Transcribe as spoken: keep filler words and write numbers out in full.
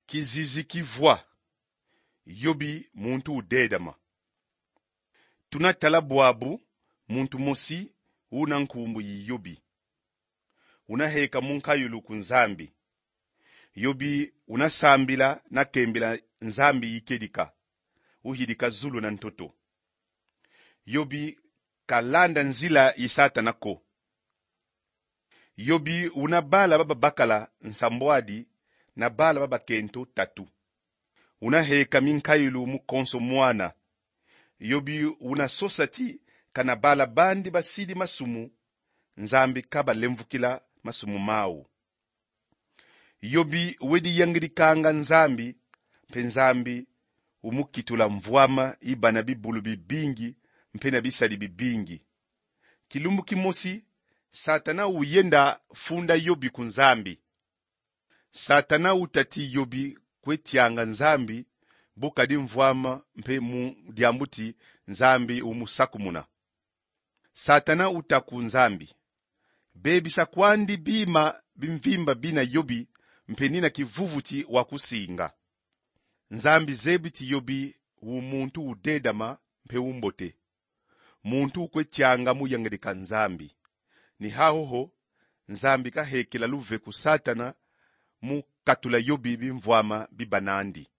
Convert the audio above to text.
Kizizi ki vwa: Yobi muntu udedama. Tuna tala bwabu muntu mosi una nkumbu yi Yobi. Una heka mu nkayulu ku Nzambi. Yobi una sambila na kembila Nzambi yi kedika, uyidika zulu na ntoto. Yobi ka landa nzila yi Satana ko. Yobi una bala ba babakala nsambwadi na bala ba bakento tatu. Una heka minkayulu mu konso mwana. Yobi una sosa ti kana bala bandi basidi masumu, Nzambi ka balemvukila masumu mau. Yobi wedi yangidikanga Nzambi, mpe Nzambi umukitula mvwama yi bana bibulu bibingi, mpe na bisadi bibingi. Kilumbu kimosi, Satana uyenda funda Yobi ku Nzambi. Satana uta ti Yobi kwe tianga Nzambi bu kadi mvwama, mpe mu diambu ti Nzambi umusakumuna. Satana uta ku Nzambi: Bebisa kwandi bima bimvimba bina Yobi, mpe nina kivuvuti wa kusinga. Nzambi zebi ti Yobi u muntu udedama mpe umbote, muntu ukwe tianga mu yangidika Nzambi. Ni hahoho, Nzambi kahekela luve ku Satana mu katula Yobi bimvwama biba nandi.